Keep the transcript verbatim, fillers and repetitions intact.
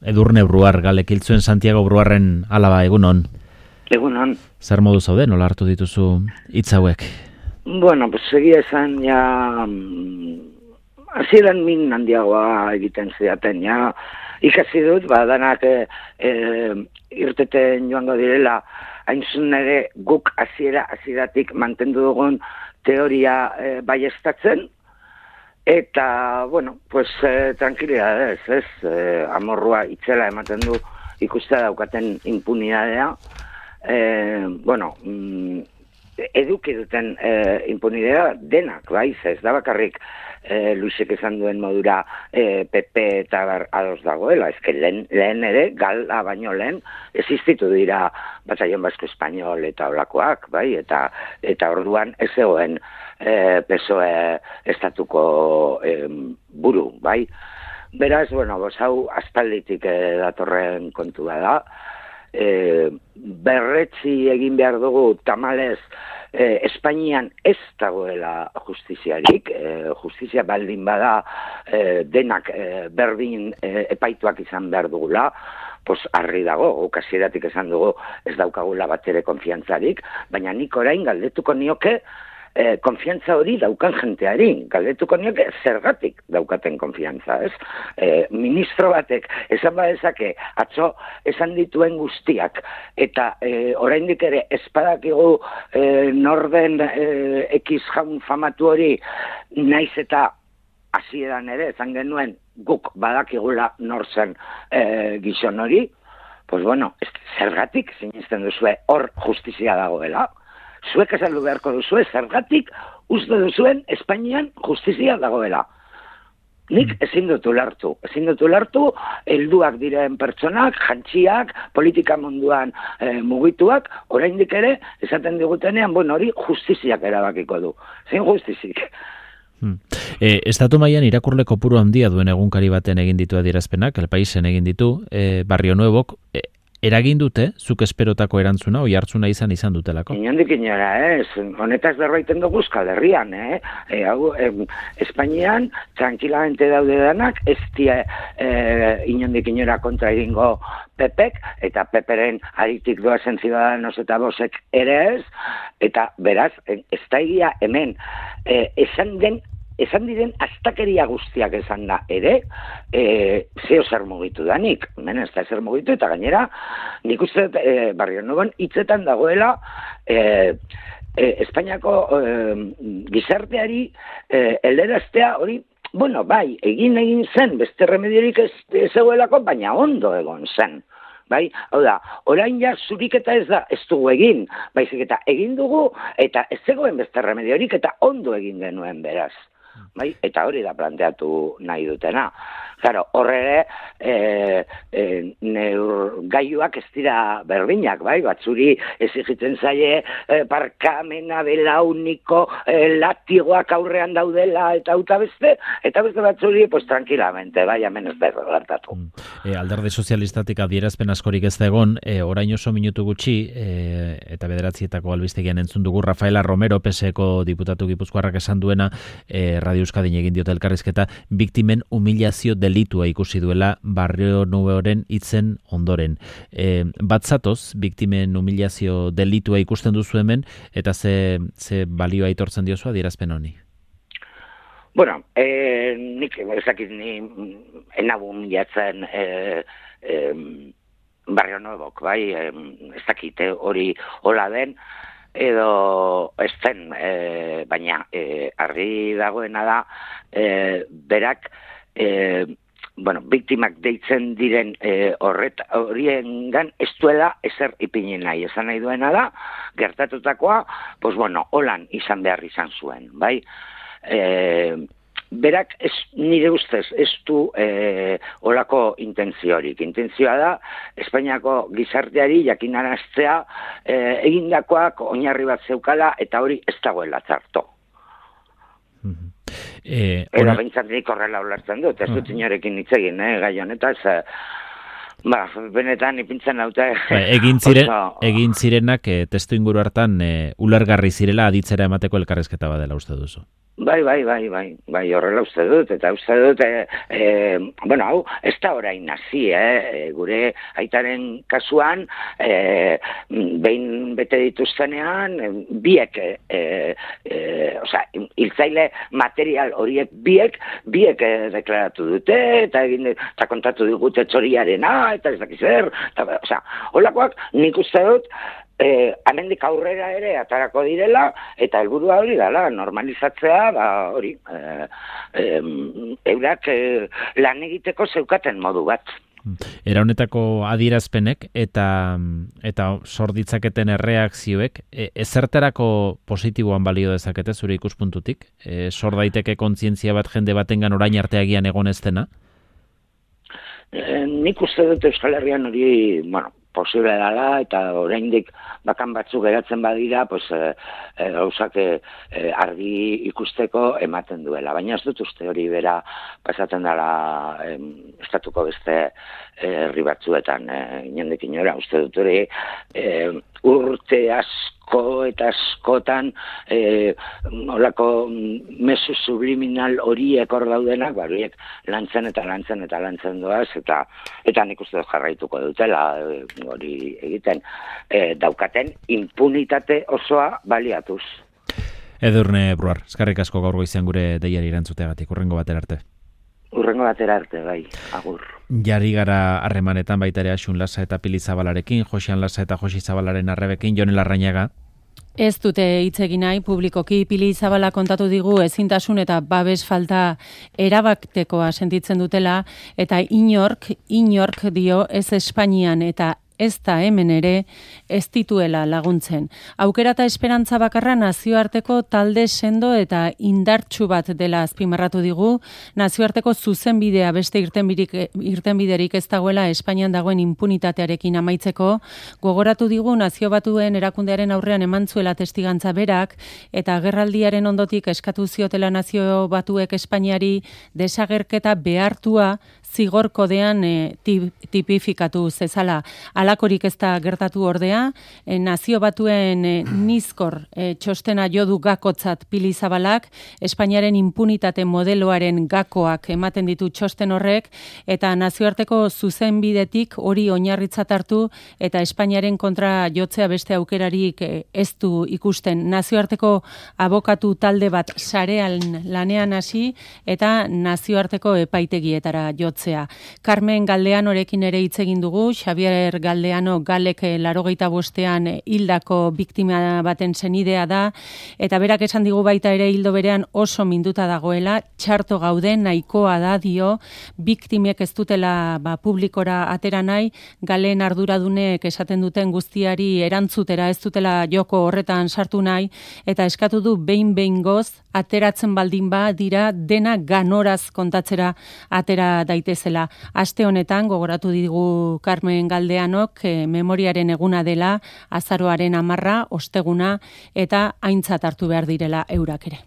Edurne Bruar, galekiltzuen Santiago Bruarren alaba, egunon. Egunon. Zer modu zaude, nola hartu dituzu hitz hauek? Bueno, pues segia esan, ja, hasieran min handiagoa egiten zidaten, ja, ikasi dut, ba, danak e, e, irteten joango direla, hain zuen ere guk hasiera hasieratik mantendu dugun teoria e, baiestatzen, eta, bueno, pues, eh, tranquilidadez, ez, eh, amorrua itzela ematen du ikustea daukaten impunidadea, eh, bueno, mm, eduki duten eh, impunidadea denak, bai, ez da bakarrik eh, Luisek esan duen modura eh, P P eta bar ados dagoela, ez que lehen, lehen ere, gala baino lehen, existitu dira Batallón Vasco Español eta olakoak, bai, eta, eta orduan ez zegoen E, P S O E estatuko e, buru, bai. Beraz, bueno, bos hau aspalditik e, datorren kontua da. E, berretzi egin behar dugu tamalez e, Espainian ez dagoela justiziarik, e, justizia baldin bada e, denak e, berdin e, epaituak izan behar dugula, pos argi dago, okasieratik esan dugu ez daukagula batere konfiantzarik, baina nik orain galdetuko nioke Eh, konfiantza hori daukan jenteari, galdetuko nioke zergatik daukaten konfiantza, ez? Eh, ministro batek esan badezake atzo esan dituen guztiak eta eh, oraindik ere espadakigu eh, norden eh, X jaun famatu hori naiz eta hasieran ere esan genuen guk badakigula nor zen eh, gizon hori, pues bueno, zergatik sinisten duzue hor justizia dagoela. Zuek esaldu beharko duzue, zergatik uste duzuen Espainian justizia dagoela. Nik ezin dut ulertu. Ezin dut ulertu, helduak diren pertsonak, jantziak, politika munduan e, mugituak, oraindik ere, esaten digutenean, bueno, hori justiziak erabakiko du. Zein justizik. Hmm. E, Estatu mailan irakurle kopuru handia duen egunkari baten egin ditu adierazpenak, El Paisen egin ditu, e, Barrio Nuevok, e, eragin dute, zuk esperotako erantzuna, oi hartzuna izan izan dutelako? Inondik inora, ez. Honetaz berbaiten dugu Euskal Herrian, eh? E, hau, em, Espainian, tranquilamente daude danak, ez dia eh, inondik inora kontra egingo Pepek, eta Peperen aritik doazen Ciudadanos eta Bosek ere ez, eta beraz, ez da egia hemen, eh, esan den Esan diren astakeria guztiak esan da ere, e, zeo zer mugitu danik, hemen ez da zer mugitu, eta gainera, nik uste e, Barrio Nuevon hitzetan dagoela e, e, Espainiako e, gizarteari e, elderaztea hori, bueno, bai, egin egin zen, beste remediorik ez, ez zegoelako, baina ondo egon zen. Bai, hau da, orain ja zuriketa ez da, ez dugu egin, baizik eta egin dugu, eta ez zegoen beste remediorik, eta ondo egin genuen beraz. Bai, eta hori da planteatu nahi dutena. Claro, horre e, e, neurgailuak ez dira berdinak, bai, batzuri exigitzen zaie e, parkamena belauniko e, latigoak aurrean daudela eta auta beste, eta beste batzuri, pues tranquilamente, bai, hemen ez berro gertatu. E, Alderdi sozialistatik adierazpen askorik ez da egon, e, orain oso minutu gutxi, e, eta bederatzietako albistegian entzun dugu Rafaela Romero, P S Eko diputatu gipuzkoarrak esan duena, e, Radio Euskadin egin diote elkarrizketa, biktimen humilazio delitua ikusi duela Barrio Nuevoren hitzen ondoren. E, batzatoz, biktimen humilazio delitua ikusten duzu hemen, eta ze, ze balioa aitortzen diozu adierazpen honi? Bueno, eh, nik ezakit ni enabu humilatzen eh, eh, Barrio Nuevok, bai, eh, ez dakit hori hola den, edo ez zen, e, baina e, argi dagoena da, e, berak, e, bueno, biktimak deitzen diren e, horret horiengan ez duela ezer ipinen nahi. Esan nahi duena da, gertatutakoa, pues bueno, holan izan behar izan zuen, bai? E, berak ez, nire ustez ez du e, olako intentziorik. Intentzioa da, Espainiako gizarteari jakinaraztea e, egindakoak oinarri bat zeukala eta hori ez dagoela txarto. Mm-hmm. E, Era behintzat nik horrela ulertzen dut, ez dut inorekin hitz egin, eh, gai honetaz, eh, ba, benetan ipintzen naute. Ba, egin, ziren, oso... egin zirenak e, testu inguru hartan e, ulergarri zirela aditzera emateko elkarrezketa badela uste duzu. Bai, bai, bai, bai, bai, horrela uste dut, eta uste dut, e, e, bueno, hau, ez da orain nazi, eh? Gure aitaren kasuan, e, behin bete dituztenean, biek, e, e, oza, hiltzaile material horiek biek, biek e, deklaratu dute, eta egin, eta kontatu digute txoriarena, eta ez dakiz zer, eta, oza, holakoak nik uste dut, Eh, amendik aurrera ere atarako direla, eta helburua hori dela, normalizatzea, ba, hori, eh, eh, eurak eh, lan egiteko zeukaten modu bat. Era honetako adierazpenek eta eta sor ditzaketen erreakzioek e, ezertarako positiboan balio dezakete zure ikuspuntutik? E, sor daiteke kontzientzia bat jende batengan orain arteagian egon ez dena? E, nik uste dut Euskal Herrian hori, bueno, posible dela, eta oraindik bakan batzuk geratzen badira, pues, e, e, gauzak e, argi ikusteko ematen duela. Baina ez dut uste hori bera pasatzen dela e, estatuko beste herri batzuetan, e, inendik inora, uste dut hori e, urte asko eta askotan e, olako mezu subliminal horiek hor daudenak, ba, horiek lantzen eta lantzen eta lantzen doaz, eta eta nik uste dut jarraituko dutela hori egiten, e, daukaten impunitate osoa baliatuz. Edurne Bruar, eskerrik asko gaur goizean gure deiari erantzuteagatik, urrengo batera arte. Urrengo batera arte, bai, agur. Jari gara harremanetan baita ere Asun Lasa eta Pili Zabalarekin, Josean Lasa eta Josi Zabalaren arrebekin, Jon Larrañaga. Ez dute hitz egin nahi, publikoki Pili Zabala kontatu digu ezintasun eta babes falta erabatekoa sentitzen dutela, eta inork, inork dio ez Espainian eta ez da hemen ere ez dituela laguntzen. Aukera eta esperantza bakarra nazioarteko talde sendo eta indartsu bat dela azpimarratu digu, nazioarteko zuzenbidea beste irtenbiderik, irtenbiderik ez dagoela Espainian dagoen impunitatearekin amaitzeko, gogoratu digu nazio batuen erakundearen aurrean eman zuela testigantza berak, eta agerraldiaren ondotik eskatu ziotela nazio batuek Espainiari desagerketa behartua zigor kodean e, tipifikatu zezala. Alakorik ez da gertatu ordea, e, nazio batuen e, nizkor e, txostena jodu gakotzat Pili Zabalak, Espainiaren impunitate modeloaren gakoak ematen ditu txosten horrek, eta nazioarteko zuzenbidetik hori oinarritzat hartu, eta Espainiaren kontra jotzea beste aukerarik e, ez du ikusten. Nazioarteko abokatu talde bat sarean lanean hasi, eta nazioarteko epaitegietara jotzea. Carmen Galdeanorekin ere hitz egin dugu, Xavier Galdeano Galek larogeita bostean hildako biktima baten senidea da, eta berak esan digu baita ere hildo berean oso minduta dagoela, txarto gaude, nahikoa da dio, biktimek ez dutela ba, publikora atera nahi, Galen arduradunek esaten duten guztiari erantzutera ez dutela joko horretan sartu nahi, eta eskatu du behin behin goz, ateratzen baldin ba dira dena ganoraz kontatzera atera daitezela. Aste honetan gogoratu digu Carmen Galdeanok e, memoriaren eguna dela, azaroaren hamarra, osteguna, eta aintzat hartu behar direla eurak ere.